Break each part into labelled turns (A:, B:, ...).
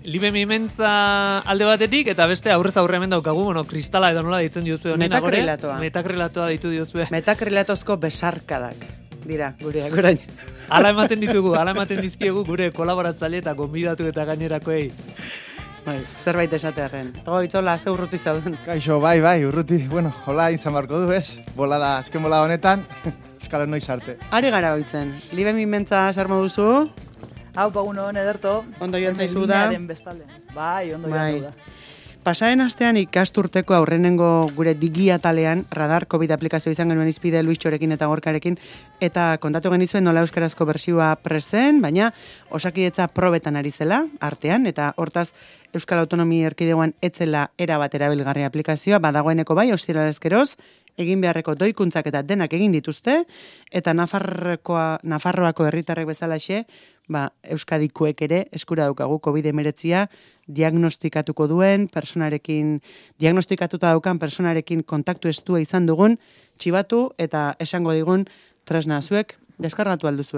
A: Libe mimentza alde batetik, eta beste aurrez aurre hemen daukagu, kristala edo nola deitzen diozue honen. Metakrilatoa deitu diozue.
B: Metakrilatozko besarkadak dira, gureak orain.
A: Hala ematen dizkiegu gure kolaboratzaile eta gonbidatu eta gainerakoei.
B: Bai, zerbait esatearen. Itzola, ze urruti zauden.
C: Kaixo, bai, urruti. Bueno, hola izan barko du, ez? Azken bolada honetan, euskal noiz arte.
B: Ari gara hoitzen. Libe mimentza zer moduzu?
D: Hau, paguno, ederto.
B: Ondo joan zaizu da.
D: Bai, ondo joan da.
B: Pasaren astean ikasturteko aurrenengo gure digiatalean radar COVID aplikazio izan genuen izpide Luis Txorekin eta Gorkarekin eta kontatu genizuen nola euskarazko bertsioa prezen, baina Osakidetza probetan ari zela artean eta hortaz Euskal Autonomia Erkidegoan etzela erabat erabilgarri aplikazioa badagoeneko bai ostiralezkeroz egin beharreko doikuntzak eta denak egin dituzte eta Nafarroako herritarrek bezalaxe Euskadikoek ere eskura daukagu COVID-19 diagnostikatuko duen diagnostikatuta daukan personarekin kontaktu estua izan dugun txibatu eta esango digun tresna zuek deskargatu alduzu,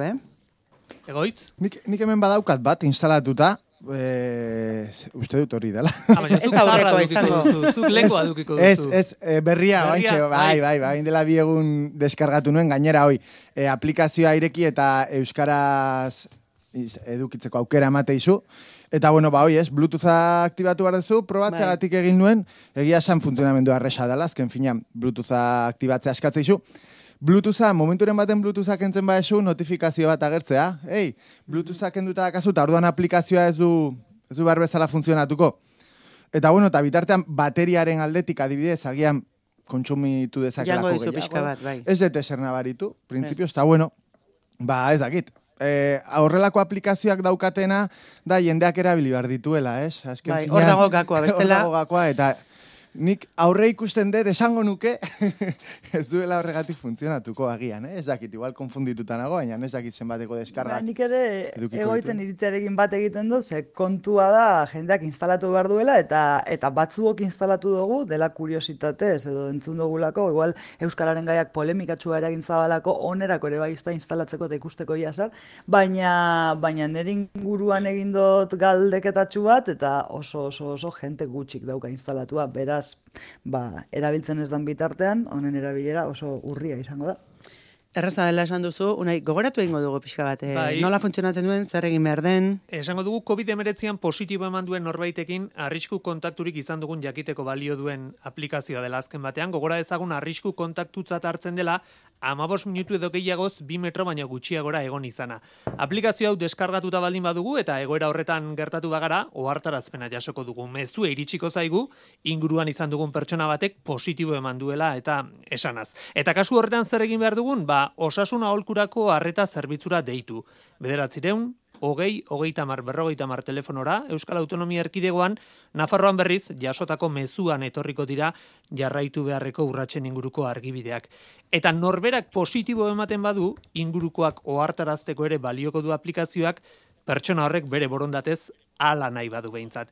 A: Egoitz?
C: Nik hemen badaukat bat instalatuta, uste dut hori dela.
B: Ez da horrekoa izango.
A: Zuk lekoa dukiko duzu.
C: Ez, berria, bai, dela bi egun deskargatu nuen, gainera hoi, aplikazioa ireki eta euskaraz edukitzeko aukera emate izu. Eta bueno, Bluetootha aktibatu behar duzu, probatzeagatik egin nuen, egia esan funtzionamendu arresa dela, azken finean Bluetootha aktibatzea eskatzea izu. Bluetootha, momenturen baten Bluetootha kentzen baezu, notifikazio bat agertzea. Bluetootha kenduta dakazu, eta orduan aplikazioa ez du behar bezala funtzionatuko. Eta bueno, eta bitartean bateriaren aldetik adibidez, agian kontsumitu dezakelako gehiago.
B: Jango dizu pixka bat, bai.
C: Ez dut eser nabaritu, principios, eta bueno, ez dakit. Horrelako aplikazioak daukatena da jendeak erabili behar dituela, ez?
B: Bai, hor dago gakoa, bestela.
C: Hor dago gakoa, eta nik aurre ikusten dut esango nuke ez duela horregatik funtzionatuko agian, ez dakit, igual konfundituta nago, baina ez dakit zenbateko deskargak.
D: Nik ere egoitzen iritziarekin bat egiten dut, ze kontua da jendeak instalatu behar duela, eta batzuok instalatu dugu dela kuriositatez, edo entzun dugulako, igual euskararen gaiak polemikatsua eragin zabalako, onerako ere bai instalatzeko eta ikusteko iasar, baina nire inguruan egin dut galdeketatxu bat, eta oso jente gutxik dauka instalatua, beraz, erabiltzen ez dan bitartean, honen erabilera oso urria izango da.
B: Erraza dela esan duzu, unai, gogoratu egingo dugu pixka bat, nola funtzionatzen duen, zer egin behar den?
A: Esango dugu COVID-19 positibo eman duen norbaitekin arrisku kontakturik izan dugun jakiteko balio duen aplikazioa dela azken batean, gogora dezagun arrisku kontaktutzat hartzen dela 15 minutu edo gehiagoz 2 metro baino gutxiagora egon izana. Aplikazio hau deskargatuta baldin badugu eta egoera horretan gertatu bagara, ohartarazpena jasoko dugu. Mezue iritsiko zaigu, inguruan izan dugun pertsona batek positibo eman duela eta esanaz. Eta kasu horretan zer egin behar dugun? Osasun aholkurako arreta zerbitzura deitu. 900 20 telefonora, Euskal Autonomia Erkidegoan, Nafarroan berriz, jasotako mezuan etorriko dira jarraitu beharreko urratsen inguruko argibideak. Eta norberak positibo ematen badu, ingurukoak ohartarazteko ere balioko du aplikazioak, pertsona horrek bere borondatez hala nahi badu behintzat.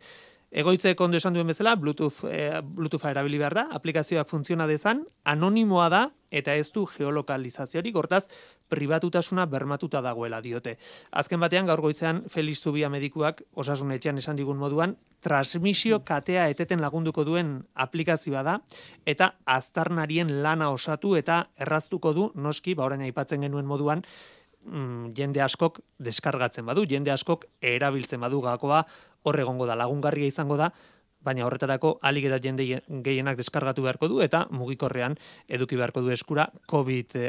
A: Egoitzek ondo esan duen bezala, Bluetootha erabili behar da, aplikazioak funtziona dezan, anonimoa da, eta ez du geolokalizaziorik, hortaz, pribatutasuna bermatuta dagoela diote. Azken batean, gaur goizean, Felix Zubia medikuak, osasun etxean esan digun moduan, transmisio katea eteten lagunduko duen aplikazioa da, eta aztarnarien lana osatu eta erraztuko du, noski, orain aipatzen genuen moduan, jende askok deskargatzen badu, jende askok erabiltzen badu gakoa, hor egongo da, lagungarria izango da, baina horretarako alik eta jende gehienak deskargatu beharko du eta mugikorrean eduki beharko du eskura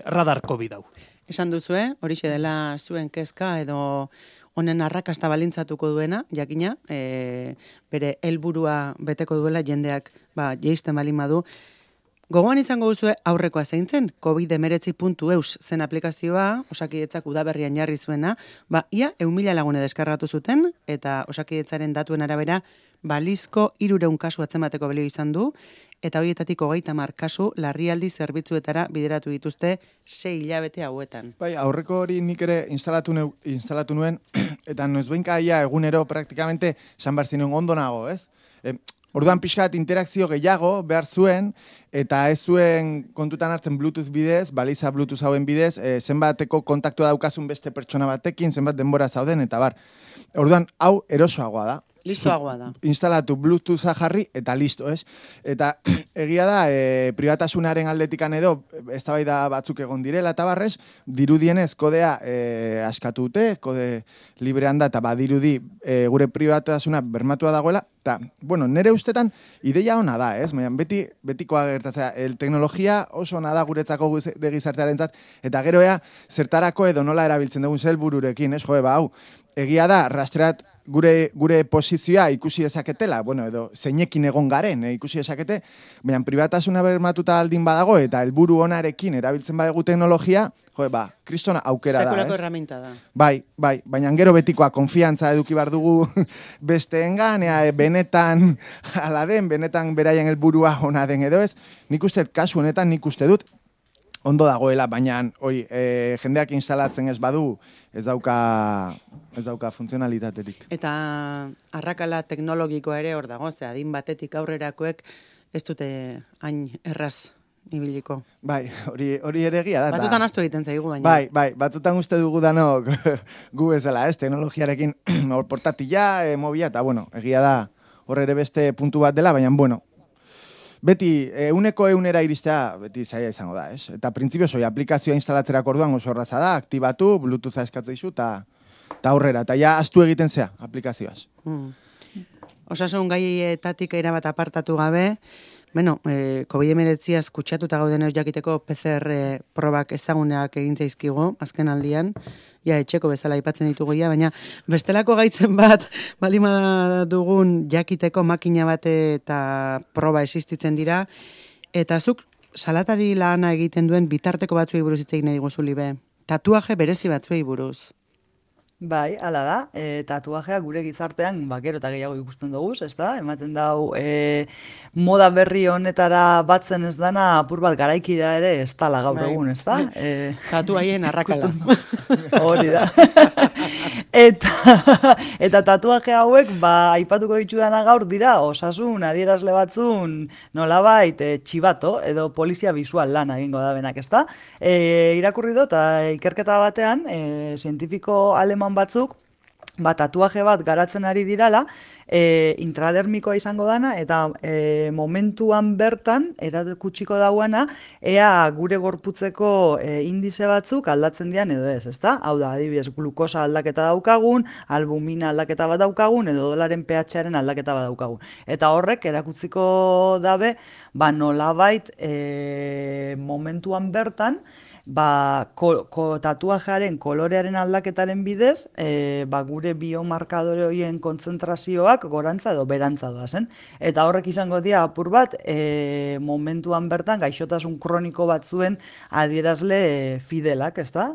A: radar COVID hau.
B: Esan duzu, horixe dela zuen kezka edo honen arrakasta balintzatuko duena, jakina, bere helburua beteko duela jendeak jeisten balin badu. Gogoan izango duzue aurrekoa zeintzen, COVID-19.eus zen aplikazioa, Osakidetzak udaberrian jarri zuena, ia 1.000 lagune deskargatu zuten, eta Osakidetzaren datuen arabera, balizko 300 kasu atzemateko balio izan du, eta horietatik 30 kasu larrialdi zerbitzuetara bideratu dituzte 6 hilabete hauetan.
C: Bai, aurreko hori nik ere instalatu nuen, eta noizbehinka egunero praktikamente San Barzinuen ondo nago, ez? Orduan pixkat interakzio gehiago behar zuen, eta ez zuen kontutan hartzen Bluetooth bidez, baliza Bluetooth hauen bidez, zenbateko kontaktua daukazun beste pertsona batekin, zenbat denbora zauden, eta bar. Orduan, hau erosoagoa da.
B: Listoagoa da.
C: Instalatu Bluetootha jarri eta listo, ez? Eta egia da, pribatasunaren aldetikan edo, eztabaida batzuk egon direla eta barrez, dirudienez kodea askatu dute, kode librean da, eta badirudi gure pribatasuna bermatua dagoela, eta, bueno, nire ustetan ideia ona da, ez? Betikoa gertatzea, teknologia oso ona da guretzako gizartearentzat, eta gero zertarako edo nola erabiltzen dugun helbururekin, ez? Hau, egia da, rastreat gure posizioa ikusi dezaketela, bueno, edo zeinekin egon garen, ikusi dezakete, baina pribatasuna bermatuta aldin badago, eta helburu onarekin erabiltzen badegu teknologia, kristona aukera da,
B: sekulako erraminta da.
C: Bai, baina gero betikoa konfiantza eduki bar dugu besteengan, benetan ala den, benetan beraien helburua ona den edo ez, nik uste kasu honetan nik uste dut, ondo dagoela, baina jendeak instalatzen ez badu, ez dauka funtzionalitaterik.
B: Eta arrakala teknologikoa ere hor dago, adin batetik aurrerakoek ez dute hain erraz ibiliko.
C: Bai, hori ere egia da.
B: Batzutan astu egiten zaigu, baina.
C: Bai, batzutan uste dugu danok gu bezala, teknologiarekin portatila, mobila, eta bueno, egia da hor ere beste puntu bat dela, baina bueno, beti, euneko eunera iristea, beti zaila izango da, ez? Eta printzipioz, aplikazioa instalatzerak orduan oso erraza da, aktibatu, Bluetootha eskatzen izu, eta aurrera, eta ja astu egiten zea, aplikazioaz.
B: Osasun gaietatik erabat apartatu gabe, COVID-19 kutsatuta gauden ez jakiteko PCR probak ezaguneak egin zaizkigu, azken aldian, etxeko bezala aipatzen ditugu baina bestelako gaitzen bat, balima dugun jakiteko makina bat eta proba existitzen dira, eta zuk salatari lana egiten duen bitarteko batzuei buruz hitz egin nahi diguzu, Libe. Tatuaje berezi batzuei buruz.
D: Bai, hala da, tatuajea gure gizartean gero eta gehiago ikusten dugu, ez da? Ematen dau moda berri honetara batzen ez dana apur bat garaikira ere ez dala gaur egun, ez da?
B: Tatuaien arrakala.
D: Hori da. Eta tatuaje hauek, aipatuko ditudana gaur dira, osasun adierazle batzun nolabait txibato edo polizia bisual lana egingo da benak, ez da? Irakurri dut, ikerketa batean, zientifiko aleman batzuk, tatuaje bat garatzen ari dirala, intradermikoa izango dana, eta momentuan bertan, erakutsiko dauana, ea gure gorputzeko indize batzuk aldatzen dian edo ez, ezta? Hau da, adibidez, glukosa aldaketa daukagun, albumina aldaketa bat daukagun, edo dolaren pH-aren aldaketa bat daukagun. Eta horrek erakutziko dabe, nolabait momentuan bertan, tatuajearen kolorearen aldaketaren bidez, gure biomarkadore horien kontzentrazioak gorantza edo berantza doazen. Eta horrek izango dira apur bat, momentuan bertan gaixotasun kroniko batzuen adierazle fidelak, ez da?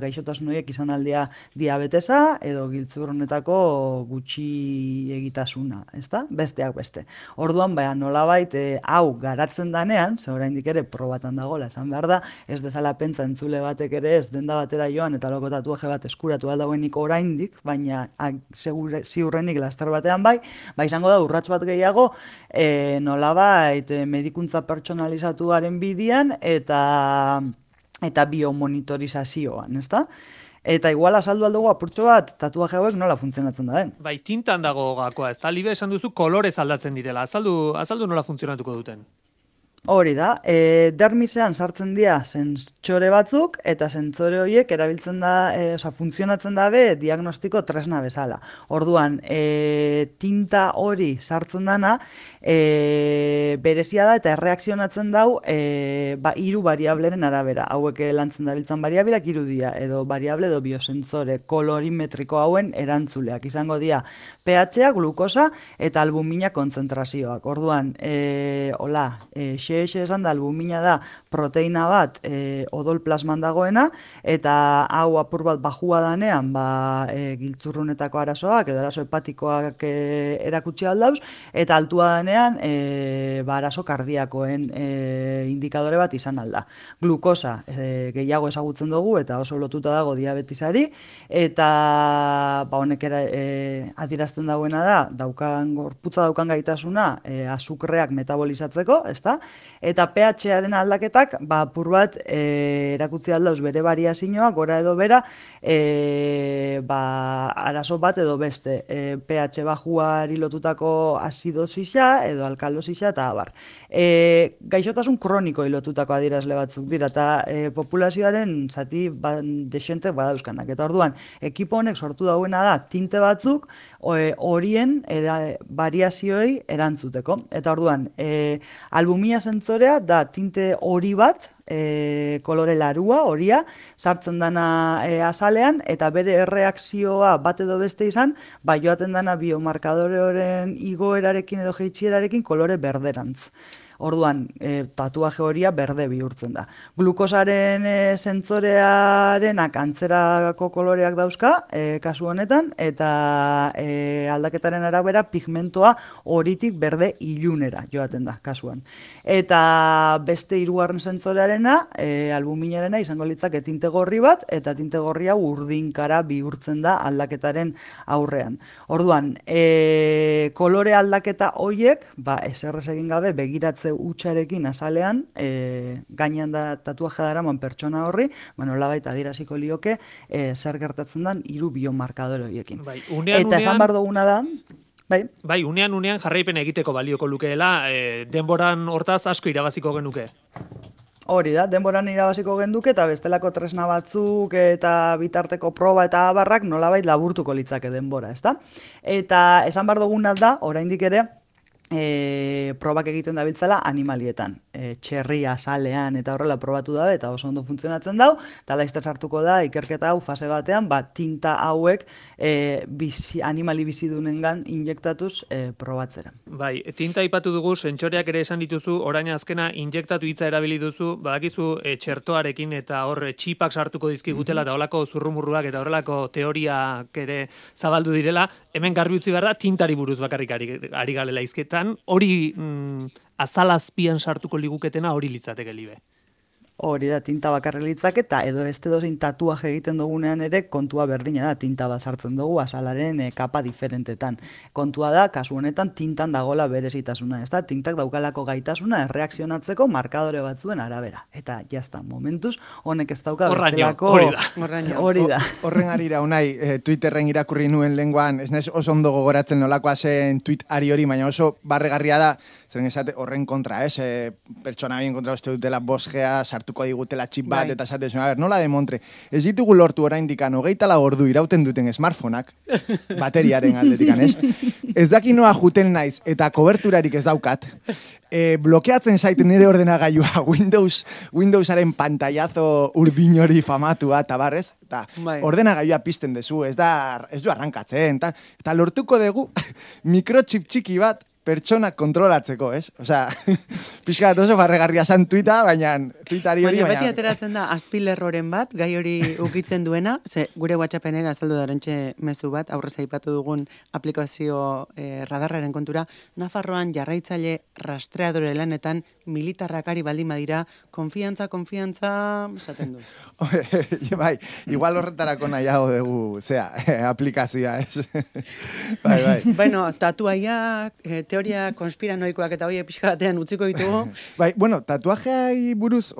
D: Gaixotasun horiek izan aldia diabetesa edo giltzurronetako gutxi egitasuna, ez da? Besteak beste. Orduan, nolabait, hau garatzen danean, ze oraindik ere probatan dagoela, esan behar da, ez desala pentsa entzule batek ere ez denda batera joan eta loko tatuaje bat eskuratu aldagoenik oraindik, baina ziurrenik laster batean izango da urrats bat gehiago nolabait medikuntza pertsonalizatuaren bidian eta biomonitorizazioan, ezta? Eta igual azaldu aldugu apurtxo bat tatuaje hauek nola funtzionatzen da den.
A: Bai, tintan dago gakoa, ezta? Libe esan duzu kolorez aldatzen direla. Azaldu nola funtzionatuko duten.
D: Hori da, dermisean sartzen dira zentsore batzuk, eta zentsore horiek erabiltzen da, funtzionatzen dabe diagnostiko tresna bezala. Orduan, tinta hori sartzen dana, berezia da eta erreakzionatzen dau, 3 variableren arabera. Hauek lantzen dabiltzan variabilak 3 dira, edo variable edo biosentzore kolorimetriko hauen erantzuleak. Izango dira pH-a, glukosa eta albumina kontzentrazioak. Orduan, esan da, albumina da proteina bat odol plasman dagoena, eta hau apur bat bajua danean giltzurrunetako arazoak, edo arazo hepatikoak erakutsi aldauz, eta altua danean arazo kardiakoen indikadore bat izan alda. Glukosa gehiago ezagutzen dugu, eta oso lotuta dago diabetisari, eta honek adierazten dagoena da, gorputza daukan gaitasuna azukreak metabolizatzeko, ezta? Eta pH-aren aldaketak, apur bat, erakutzi aldauz bere variazioa, gora edo bera, arazo bat edo beste. pH bajuari lotutako asidosisa edo alkalosisa eta abar. Gaixotasun kroniko lotutako adierazle batzuk dira, eta populazioaren zati desente badauzkanak. Eta orduan, ekipo honek sortu dauena da tinte batzuk horien variazioei erantzuteko. Eta orduan, albumina sentzorea da tinte hori bat, kolore larua, horia, sartzen dana azalean, eta bere erreakzioa bat edo beste izan, joaten dana biomarkadoreoren igoerarekin edo jeitsierarekin kolore berderantz. Orduan, tatuaje horia berde bihurtzen da. Glukosaren sentzorearenak antzerako koloreak dauzka, kasu honetan, eta aldaketaren arabera pigmentoa horitik berde ilunera joaten da, kasuan. Eta beste hirugarren sentzorearena, albuminarena izango litzake tinte gorri bat, eta tinte gorria urdinkara bihurtzen da aldaketaren aurrean. Orduan, kolore aldaketa hoiek, eserrez egin gabe, begiratze utxarekin azalean, gainean da tatuaje daraman pertsona horri, nolabait adieraziko lioke zer gertatzen den hiru biomarkadore horiekin. Eta esan bar duguna da,
A: Bai, unean jarraipen egiteko balioko lukeela, denboran hortaz asko irabaziko genuke.
D: Hori da, denboran irabaziko genduke eta bestelako tresna batzuk eta bitarteko proba eta abarrak nolabait laburtuko litzake denbora, ezta? Eta esan bar duguna da, oraindik ere, probak egiten dabiltzala animalietan. Txerria, salean eta horrela probatu dabe eta oso ondo funtzionatzen dau, eta laizter sartuko da ikerketa hau fase batean, tinta hauek animali bizidunengan injektatuz probatzera.
A: Bai, tinta ipatu dugu, sentsoreak ere esan dituzu, orain azkena injektatu hitza erabili duzu, badakizu txertoarekin eta hor txipak sartuko dizkigutela eta horrelako zurrumurruak eta horrelako teoriak ere zabaldu direla, hemen garbi utzi behar da tintari buruz bakarrik ari galela izketan, hori azalazpian sartuko liguketena hori litzateke libe.
D: Hori da, tinta bakarri litzake, eta edo beste dozin tatuaje egiten dugunean ere kontua berdina da, tinta bat sartzen dugu azalaren kapa diferentetan. Kontua da, kasu honetan tintan dagola berezitasuna, ez da? Tintak daukalako gaitasuna erreakzionatzeko markadore batzuen arabera. Eta jazta, momentuz, honek ez dauka bestelako... Hori da.
C: Horren arira unai, Twitterren irakurri nuen lenguan, ez naiz oso ondo gogoratzen nolakoa zen tweet ari hori, baina oso barregarria da, zeren esate horren kontra, pertsona bien kontra uste dutela bosgea, sartuko digutela txip bat, eta esate zuen, nola demontre, ez ditugu lortu oraindikan 24 ordu irauten duten smartphoneak, bateriaren aldetikan, ez daki noa juten naiz, eta koberturarik ez daukat, blokeatzen zait nire ordenagailua Windowsaren pantailazo urdin hori famatua, eta barrez, eta ordenagailua pizten dezu, ez du arrankatzen, eta lortuko dugu mikrochip txiki bat, pertsonak kontrolatzeko, Osea, pixkat oso barregarria zan tuita, baina tuitari hori...
B: Baina beti ateratzen da, azpilerroren bat, gai hori ukitzen duena, ze gure WhatsAppen azaldu darentxe mezu bat, aurrez aipatu dugun aplikazio radarraren kontura, Nafarroan jarraitzaile rastreadore lanetan militarrakari baldin badira, konfiantza, esaten du.
C: Bai, igual horretarako nahiago dugu, aplikazioa, Bai.
B: Bueno, tatuaiak, teoria konspiranoikoak eta hoiek pixka batean utziko ditugu.
C: Bai, bueno, tatuajeai buruz,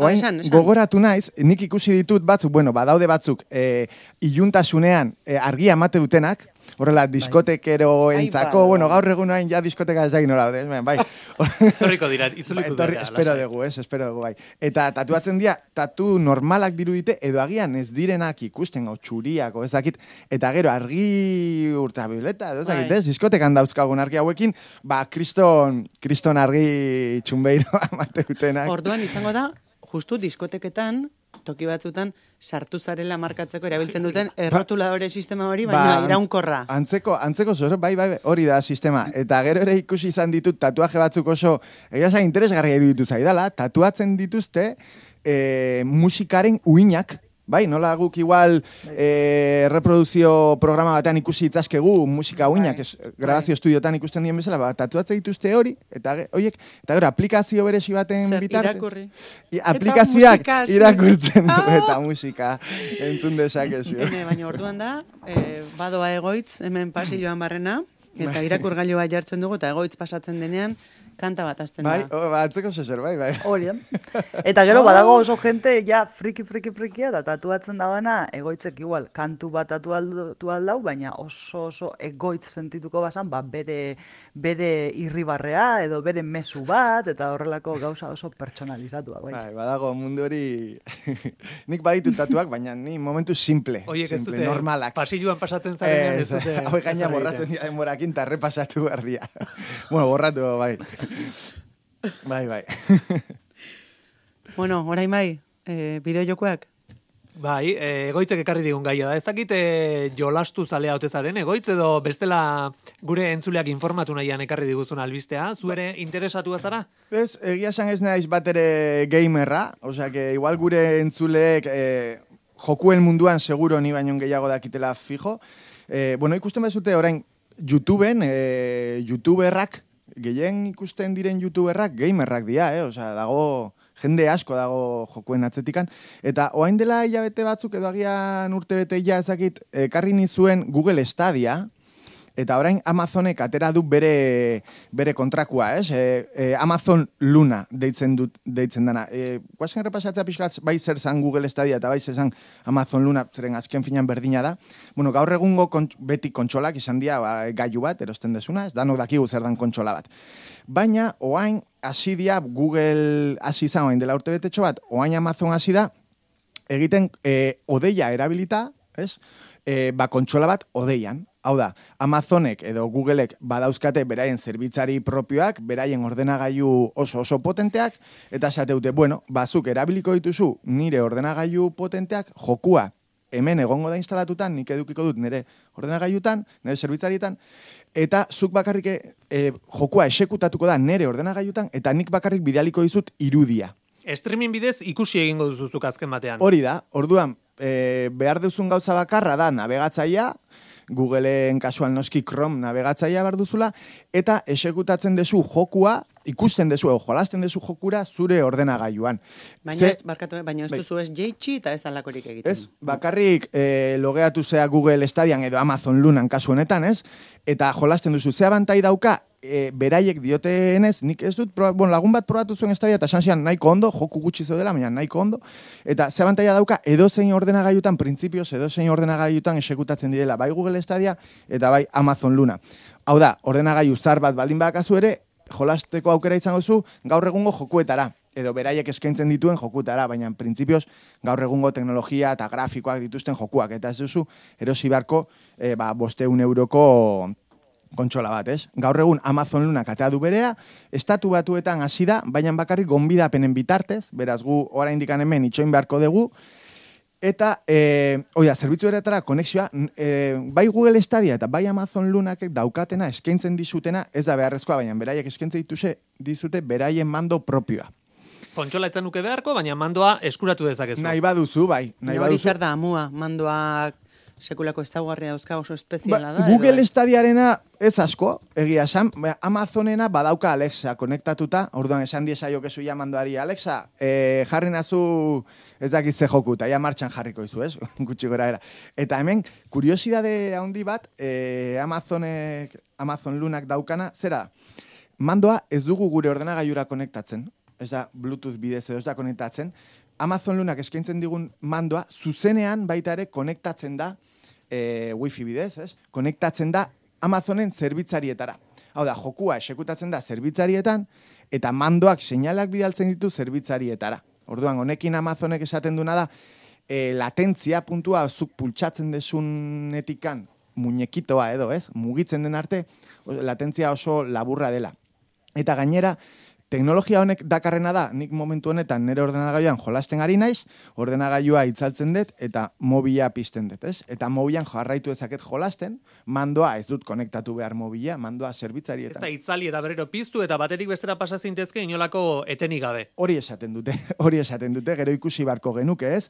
C: gogoratu naiz, nik ikusi ditut batzuk, badaude batzuk, iluntasunean argia emate dutenak, horrela, diskotekero entzako, gaur egun hain ja diskoteka ez egin hola, bai.
A: Torriko dira, itzuliko dira.
C: Espero dugu, bai. Eta tatuatzen dira, tatu normalak dirudite, edo agian ez direnak ikusten, txuriako, ezakit, eta gero argi urtabileta, ezakit, diskotekan dauzkagun argi hauekin, kriston argi txunbeiro amate dutenak.
B: Orduan izango da, justu diskoteketan, toki batzutan, sartu zarela markatzeko erabiltzen duten errotuladore sistema hori, baina iraunkorra.
C: Antzeko zor, bai, hori da sistema. Eta gero ere ikusi izan ditut tatuaje batzuk oso, egia interesgarria iruditu zaidala, tatuatzen dituzte musikaren uinak, bai, nola guk igual reproduzio programa batean ikusi itzazkegu musika uinak, grabazio estudiotan ikusten dien bezala, tatuatzen dituzte hori, eta gero aplikazio beresi baten bitartez.
B: Irakurri.
C: Aplikazioak irakurtzen du, eta musika entzun dezakezu.
B: Baina orduan da, badoa egoitz, hemen pasilloan barrena, eta irakurgailua jartzen dugu, eta egoitz pasatzen denean, kanta bat azten da.
C: Bai, atzeko zezer, bai.
D: Hori, Eta gero, badago oso jente, ja, frikia, eta tatuatzen dagoena, egoitzek igual, kantu bat tatuatu aldau, baina oso egoitz sentituko basan, bere irribarrea, edo bere mezu bat, eta horrelako gauza oso pertsonalizatua.
C: Bai, badago mundu hori, nik baditu tatuak, baina ni momentu simple, normalak.
A: Pasilluan pasatzen zarenean ez dute.
C: Hau gaina borratzen dira denborakin, eta repasatu behar dira. Bueno, borratu, bai. Bai.
B: Bueno, orain bai, bideojokoak?
A: Bai, egoitzek ekarri digun gaia da. Ez dakit jolastu zalea otezaren egoitz edo bestela gure entzuleak informatu nahian ekarri diguzun albistea. Zu ere interesatu zara?
C: Ez, egia esan ez naiz bat ere gamerra, osea, que igual gure entzuleek jokuen munduan seguro ni baino gehiago dakitela fijo. Bueno, ikusten bezute orain YouTubeen, YouTuberrak, gehien ikusten diren YouTuberrak gamerrak dira, osea, dago jende asko dago jokuen atzetikan, eta orain dela hilabete batzuk edo agian urtebete ja ezakit ekarri nizuen Google Stadia, eta orain Amazonek atera du bere kontrakua, Amazon Luna deitzen dana. Guazen repasatzea pixkatz, bai zer zan Google Stadia eta bai zer zan Amazon Luna, zeren azken finan berdina da. Bueno, gaur egungo beti kontsolak izan dira gailu bat, erosten desuna, ez danok dakigu zer dan kontsola bat. Baina, oain, hasi dia, Google hasi izan oain dela urte betetxo bat, oain Amazon hasi da, egiten odeia erabilita, ez? Kontsola bat odeian. Hau da, Amazonek edo Googleek badauzkate beraien zerbitzari propioak, beraien ordenagailu oso potenteak, eta esateute, bueno, bazuk erabiliko dituzu nire ordenagailu potenteak, jokua hemen egongo da instalatutan, nik edukiko dut nire ordenagailutan, nire zerbitzarietan, eta zuk bakarrik jokua esekutatuko da nire ordenagailutan, eta nik bakarrik bidaliko dizut irudia.
A: Streaming bidez ikusi egingo duzuzuk azken batean.
C: Hori da, orduan, behar duzun gauza bakarra da navegatzaia, Googleen kasual noski Chrome navegatzaia behar duzula, eta esekutatzen dezu jokua, ikusten dezu, jolasten dezu jokura zure ordenagailuan.
B: Baina ez duzu ez jeitsi eta ez alakorik egiten.
C: Ez, bakarrik logeatu zea Google Stadian edo Amazon Lunan kasu honetan, ez? Eta jolasten duzu, zea bantai dauka, beraiek diotenez, nik ez dut, lagun bat probatu zuen Stadia eta esan zian nahiko ondo, joku gutxi zo dela, baina nahiko ondo, eta zea bantaia dauka edozein ordenagailutan, printzipioz edozein ordenagailutan esekutatzen direla, bai Google Stadia eta bai Amazon Luna. Hau da, ordenagailu zar bat baldin bakazu ere, jolasteko aukera izango zu gaur egungo jokuetara, edo beraiek eskaintzen dituen jokutara, baina printzipioz gaur egungo teknologia eta grafikoak dituzten jokuak, eta ez duzu erosi beharko 500 euroko kontsola bat, ez? Gaur egun Amazon Luna katea du berea, estatu batuetan hasi da, baina bakarrik gonbidapenen bitartez, beraz gu oraindik hemen itxoin beharko dugu, eta, zerbitzu eretara konexioa, bai Google Stadia eta bai Amazon Lunak daukatena eskaintzen dizutena, ez da beharrezkoa, baina beraiek eskaintzen dizute beraien mando propioa.
A: Kontsola etzan nuke beharko, baina mandoa eskuratu dezakezu.
C: Nahi baduzu, bai.
B: Hori zer da, amua, mandoak sekulako ezaguarria dauzka oso espeziala da.
C: Google Stadiarena ez asko, egia esan, Amazonena badauka Alexa konektatuta, orduan esan diesaiokezu ja mandoari, Alexa, jarri nazu ez dakit ze joku, eta ja martxan jarriko izu, ez? Gutxi gora era. Eta hemen, kuriosidade handi bat, Amazon Lunak daukana, zera, mandoa ez dugu gure ordenagailura konektatzen, ez da Bluetooth bidez edo ez da konektatzen, Amazon Lunak eskaintzen digun mandoa, zuzenean baita ere konektatzen da, wifi bidez, ez? Konektatzen da Amazonen zerbitzarietara. Hau da, jokua esekutatzen da zerbitzarietan, eta mandoak seinalak bidaltzen ditu zerbitzarietara. Orduan, honekin Amazonek esaten duna da, latentzia puntua zuk pultsatzen desunetikan muñekitoa edo, ez? Mugitzen den arte, latentzia oso laburra dela. Eta gainera, teknologia honek dakarrena da, nik momentu honetan nire ordenagailuan jolasten ari naiz, ordenagailua itzaltzen dut eta mobila pizten dut, ez? Eta mobilan jarraitu ezaket jolasten, mandoa ez dut konektatu behar mobila, mandoa zerbitzarietan.
A: Ez da itzali eta berriro piztu eta baterik bestera pasa zintezke inolako etenik gabe.
C: Hori esaten dute, gero ikusi barko genuke, ez?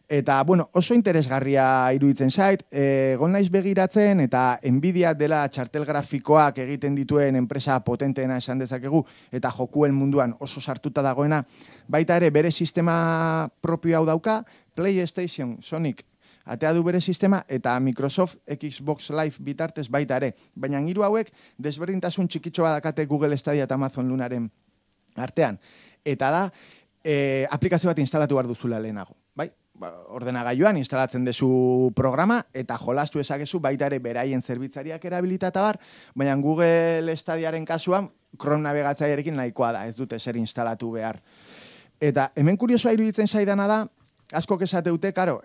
C: Eta, bueno, oso interesgarria iruditzen zait, egon naiz begiratzen eta Nvidia dela txartel grafikoak egiten dituen enpresa potenteena esan dezakegu, eta jokuen munduan oso sartuta dagoena, baita ere bere sistema propio hau dauka, PlayStation, Sonic, atea du bere sistema, eta Microsoft Xbox Live bitartez baita ere. Baina hiru hauek desberdintasun txikitxo badakate Google Stadia eta Amazon Lunaren artean. Eta da, aplikazio bat instalatu behar duzula lehenago. Bai? Ordenagailuan instalatzen dezu programa eta jolastu ezakezu baita ere beraien zerbitzariak erabilitata bar, baina Google Stadiaren kasuan Chrome nabigatzailearekin nahikoa da, ez dute zer instalatu behar. Eta hemen kuriosoa iruditzen zaidana da, askok esateute, karo,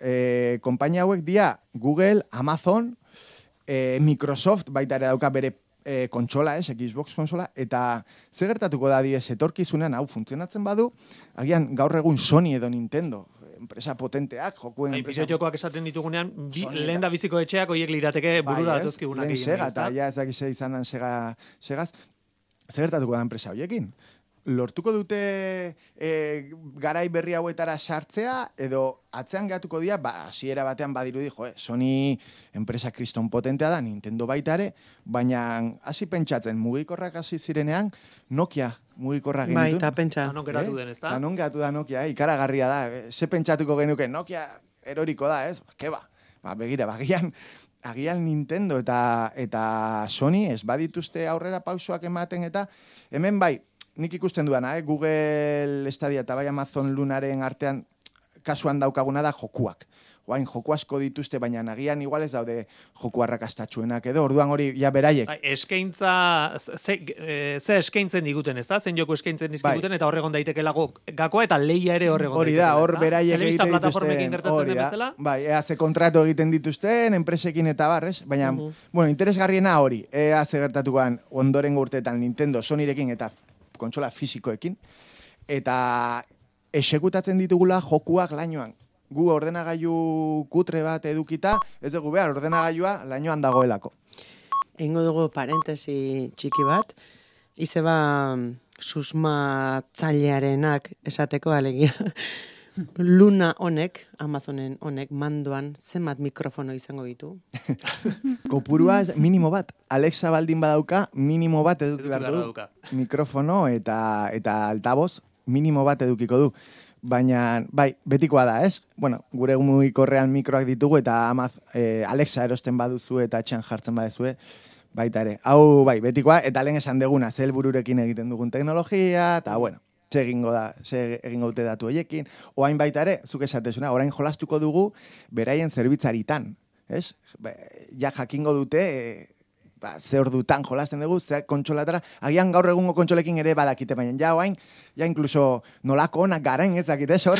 C: konpainia hauek dia Google, Amazon, Microsoft baita ere dauka bere kontsola, Xbox kontsola, eta ze gertatuko da diez etorkizunean hau funtzionatzen badu, agian gaur egun Sony edo Nintendo, enpresa potenteak, jokuen enpresa...
A: Jokoak esaten ditugunean, lehen da biziko etxeak oiek lirateke burura datuzkigunak egin.
C: Sega, eta ja ezakize izanan segaz, zer gertatuko da enpresa hoiekin? Lortuko dute garai berri hauetara sartzea, edo atzean gehatuko dira, hasiera batean badirudi, Sony enpresa kriston potentea da, Nintendo baita ere, baina hasi pentsatzen, mugikorrak hasi zirenean, Nokia mugikorra genitu.
B: Bai, eta pentsa.
A: Tanon geratu den, ez da?
C: Tanon geratu da Nokia, ikaragarria da. Ze pentsatuko genuke, Nokia eroriko da, ez? Keba, begira, agian Nintendo eta Sony ez badituzte aurrera pausoak ematen, eta hemen bai, nik ikusten duana, Google Stadia eta bai Amazon Lunaren artean kasuan daukaguna da jokuak. Oain joku asko dituzte, baina nagian igual ez daude joku arrakastatxuenak edo, orduan hori ja beraiek.
A: Eskaintza, ze eskaintzen diguten, ez da? Zen joku eskaintzen dizkiguten, eta horregon daitekela gakoa eta leia ere horregon
C: hori da, hor beraiek egiten
A: dituzten. Hori da,
C: bai, ze kontratu egiten dituzten, enpresekin eta barrez, baina, bueno, interesgarriena hori, ze gertatuan ondorengo urteetan Nintendo, Sonyrekin eta kontsola fisikoekin, eta esekutatzen ditugula jokuak lainoan. Gu ordenagailu kutre bat edukita, ez dugu behar, ordenagailua lainoan dagoelako.
B: Eingo dugu parentesi txiki bat, izeba susmatzailearenak esateko alegia. Luna honek, Amazonen honek, mandoan zenbat mikrofono izango ditu?
C: Kopurua minimo bat. Alexa baldin badauka, minimo bat eduki behar du. Mikrofono eta altaboz, minimo bat edukiko du. Baina, bai, betikoa da, ez? Bueno, gure mugikorrean mikroak ditugu eta Alexa erosten baduzu eta etxean jartzen baduzue, baita ere. Hau, bai, betikoa, eta lehen esan deguna, ze helbururekin egiten dugun teknologia, eta, bueno, ze egingo dute datu hoiekin, oain baita ere, zuk esatezuna, orain jolastuko dugu beraien zerbitzaritan, ez? Ja jakingo dute... ze ordutan jolasten dugu, ze kontsolatara, agian gaur egungo kontsolekin ere badakite, baina ja oain, ja inkluso nolako onak garen ezakite, sor.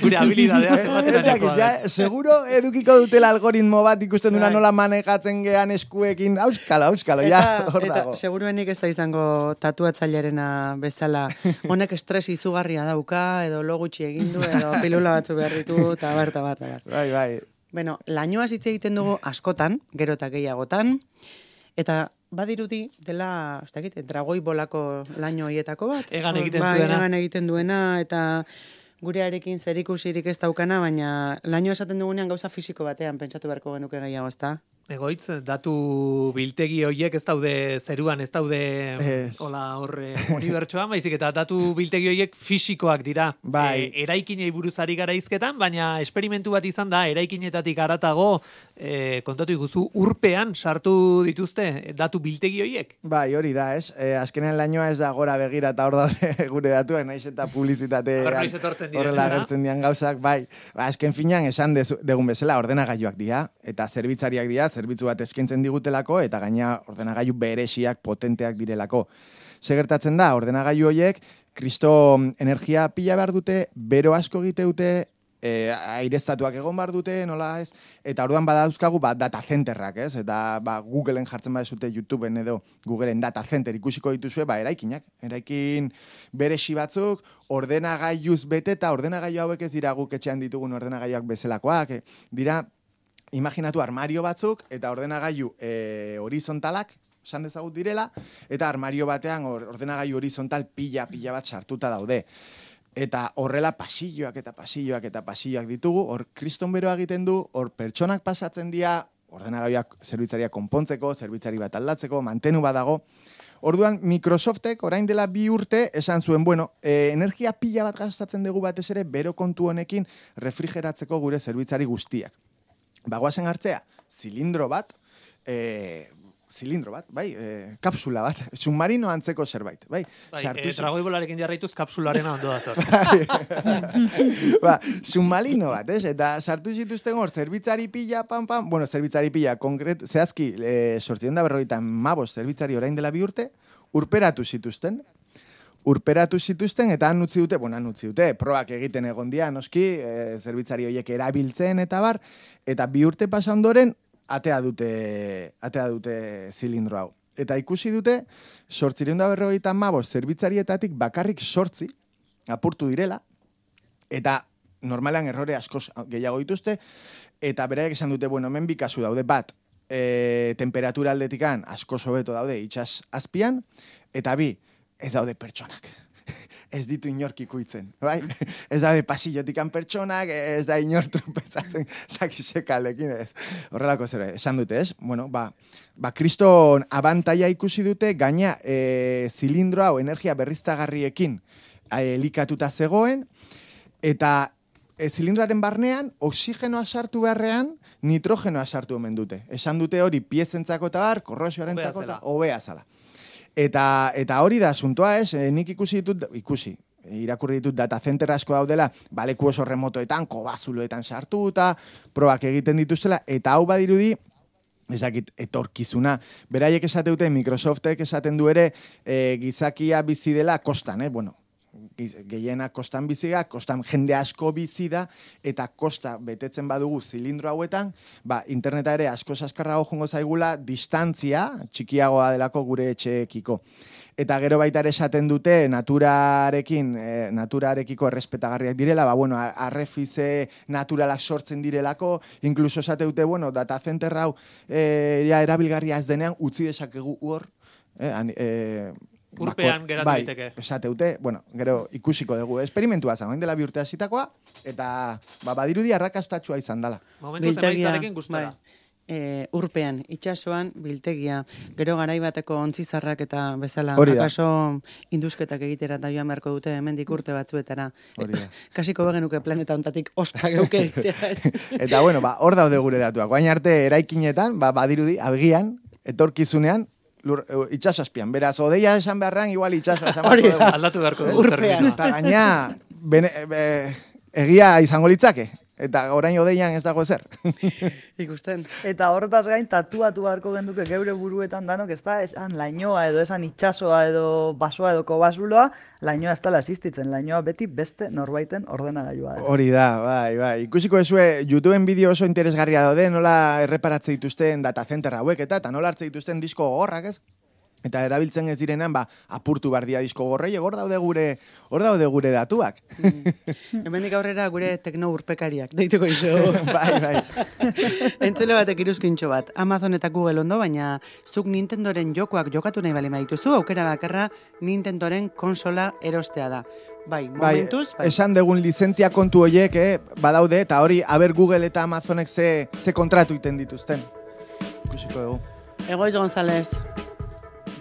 A: Gure habilidadea zematen
C: ja, seguro edukiko dutela algoritmo bat ikusten duna nola manejatzen gean eskuekin, auskalo, ja, hor dago.
B: Eta seguruenik ez da izango tatuatzailearena bezala, honek estres izugarria dauka, edo lo gutxi egin du, edo pilula batzu behar ditu, eta bar.
C: Bai.
B: Bueno, lainoaz hitz egiten dugu askotan, gero eta gehiagotan, eta badirudi dela, ez dakit, dragoi bolako laino hietako bat.
A: Egan egiten
B: duena, eta gurearekin zerikusirik ez daukana, baina laino esaten dugunean gauza fisiko batean pentsatu beharko genuke gehiago, ez da?
A: Egoitz, datu biltegi horiek ez daude zeruan, ez daude horre unibertsoan, baizik eta datu biltegi horiek fisikoak dira.
C: Bai.
A: Eraikinei buruzari gara izketan, baina esperimentu bat izan da, eraikinetatik aratago, kontatu iguzu, urpean sartu dituzte datu biltegi horiek?
C: Bai, hori da, ez? Azkenean lainoa ez da gora begira eta hor daude gure datuak, naiz eta publizitate horrela agertzen dian gauzak, bai. Azken finean esan degun bezala ordenagailuak dira, eta zerbitzariak dira, zerbitzu bat eskaintzen digutelako, eta gaina ordenagailu beresiak potenteak direlako. Segertatzen da, ordenagailu horiek, kristo energia pila behar dute, bero asko egite dute, aireztatuak egon behar dute, nola ez, eta orduan badauzkagu data centerrak, ez, eta Googleen jartzen badezute YouTubeen edo Googleen data center ikusiko dituzue, eraikin beresi batzuk, ordenagailuz bete, eta ordenagailu hauek ez dira guk etxean ditugun ordenagailuak bezalakoak, dira, imaginatu armario batzuk eta ordenagailu horizontalak, esan dezagut direla, eta armario batean ordenagailu horizontal pila bat sartuta daude. Eta horrela pasilloak ditugu, hor kriston beroa egiten du, hor pertsonak pasatzen dira, ordenagailuak zerbitzariak konpontzeko, zerbitzari bat aldatzeko, mantenu badago. Orduan, Microsoftek orain dela 2 urte esan zuen, energia pila bat gastatzen dugu batez ere, bero kontu honekin refrigeratzeko gure zerbitzari guztiak. bagoazen hartzea, zilindro bat, bai, kapsula bat, submarino antzeko zerbait, bai.
A: Dragoi bolarekin jarraituz kapsularena ondo dator.
C: Submarino bat, eta sartu zituzten hor, zerbitzari pila, zerbitzari pila, zehazki, 745 zerbitzari orain dela 2 urte, urperatu zituzten, eta han utzi dute, probak egiten egon dia, noski, zerbitzari horiek erabiltzen eta bar, eta 2 urte pasa ondoren, atea dute zilindro hau. Eta ikusi dute, 745 zerbitzarietatik bakarrik 8 apurtu direla, eta normalan errore askoz gehiago dituzte, eta beraiek esan dute, hemen bi kasu daude, bat, temperatura aldetikan askoz hobeto daude itsas azpian, eta bi, ez daude pertsonak. Ez ditu inork ikuitzen, bai? Ez daude pasillotikan pertsonak, ez da inor tropezatzen zakisekalekin, ez. Horrelako zera, esan dute, ez? Kriston abantaia ikusi dute, gaina zilindro hau energia berriztagarriekin elikatuta zegoen, eta zilindroaren barnean, oxigenoa sartu beharrean, nitrogenoa sartu omen dute. Esan dute hori piezentzako eta bar, korrosioarentzako eta hobea zala. Eta hori da asuntoa, ez? Nik irakurri ditut data center asko daudela, leku oso remotoetan, kobazuloetan sartuta, probak egiten dituztela, eta hau badirudi, ezakit, etorkizuna. Beraiek esateute, Microsoftek esaten du ere, gizakia bizi dela kostan, gehiena kostan biziga, kostan jende asko bizi da, eta kosta betetzen badugu zilindro hauetan, interneta ere asko azkarrago jongo zaigula, distantzia txikiagoa delako gure etxeekiko. Eta gero baita ere esaten dute, naturarekiko errespetagarriak direla, arrefize naturalak sortzen direlako, inkluso esate dute, data center hau erabilgarria ez denean, utzi dezakegu hor,
A: urpean geratu diteke.
C: Esateute, gero ikusiko dugu. Esperimentua zagoen dela 2 urte hasitakoa, eta badirudi arrakastatsua izan dela.
A: Momentuz emaitzarekin gustora.
B: Urpean, itsasoan biltegia, gero garai bateko ontzizarrak eta bezala, akaso indusketak egitera eta joan beharko dute hemendik urte batzuetara. Kasiko begenuke planeta ontatik ospa geuke egitera.
C: Eta hor daude gure datuak. Baina arte eraikinetan, badirudi, agian, etorkizunean, itxasazpian. Beraz, odeia esan beharrean, igual itxasazpian.
A: Aldatu beharko dugu.
B: Urpean.
C: Eta gaina, egia izango litzake. Eta orain odeian ez dago ezer.
B: Ikusten.
D: Eta horretaz gain, tatuatu beharko genduke geure buruetan danok, ez da, esan lainoa edo esan itxasoa edo basoa edo kobazuloa, lainoa ez dela existitzen. Lainoa beti beste norbaiten ordenagailua.
C: Hori da, bai. Ikusiko ezue, YouTubeen bideo oso interesgarria daude, nola erreparatze dituzten data center hauek eta nola hartze dituzten disko gogorrak, ez? Eta erabiltzen ez direnean, apurtu bardia disko gorrei, hor daude gure datuak.
B: Hemendik aurrera gure tekno urpekariak, deituko izo.
C: Bai.
B: Entzule batek iruzkintxo bat, Amazon eta Google ondo, baina zuk Nintendoren jokoak jokatu nahi bali maituzu, aukera bakarra Nintendoren konsola erostea da. Momentuz.
C: Esan degun lizentzia kontu horiek, badaude, eta hori, aber Google eta Amazonek ze kontratu iten dituzten. Ikusiko dugu.
B: Egoiz González.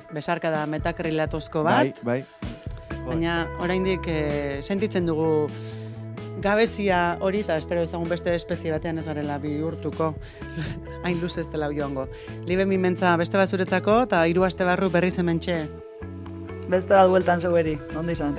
B: Besarka da metakrilatozko bat.
C: Bai.
B: Baina oraindik sentitzen dugu gabezia hori, eta espero ezagun beste espezie batean ez garela bihurtuko. Hain luz ez dela joango. Libe mimentza beste bazuretzako, eta 3 aste barru berriz hementxe.
D: Beste da dueltan zeueri, ondo izan.